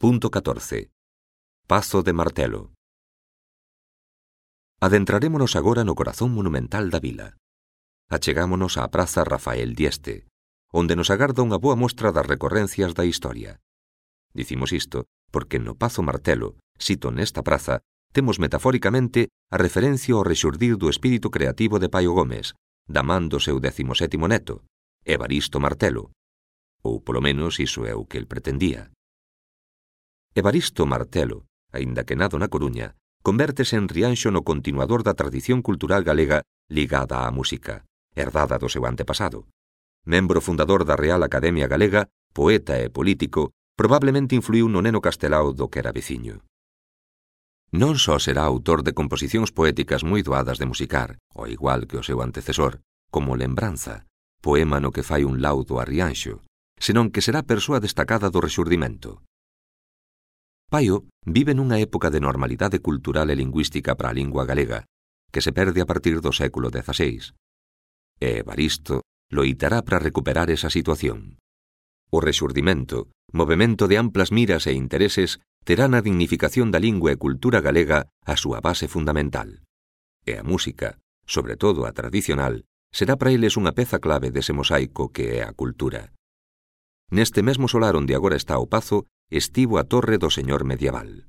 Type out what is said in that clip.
Punto 14. Pazo de Martelo. Adentrarémonos agora no corazón monumental da vila. Achegámonos á Praza Rafael Dieste, onde nos agarda unha boa mostra das recorrencias da historia. Dicimos isto porque no Pazo Martelo, sito nesta praza, temos metafóricamente a referencia ao rexurdir do espírito creativo de Paio Gómez, da man do seu 17º neto, Evaristo Martelo, ou polo menos iso é o que el pretendía. Evaristo Martelo, aínda que nado na Coruña, convértese en Rianxo no continuador da tradición cultural galega ligada á música, herdada do seu antepasado. Membro fundador da Real Academia Galega, poeta e político, probablemente influiu no neno Castelao do que era veciño. Non só será autor de composicións poéticas moi doadas de musicar, ao igual que o seu antecesor, como Lembranza, poema no que fai un laudo a Rianxo, senón que será persoa destacada do rexurdimento. Paio vive nunha época de normalidade cultural e lingüística para a lingua galega, que se perde a partir do século XVI. E Evaristo loitará para recuperar esa situación. O rexurdimento, movemento de amplas miras e intereses, terá na dignificación da lingua e cultura galega a súa base fundamental. E a música, sobre todo a tradicional, será para eles unha peza clave dese mosaico que é a cultura. Neste mesmo solar onde agora está o pazo, estivo a torre do señor medieval.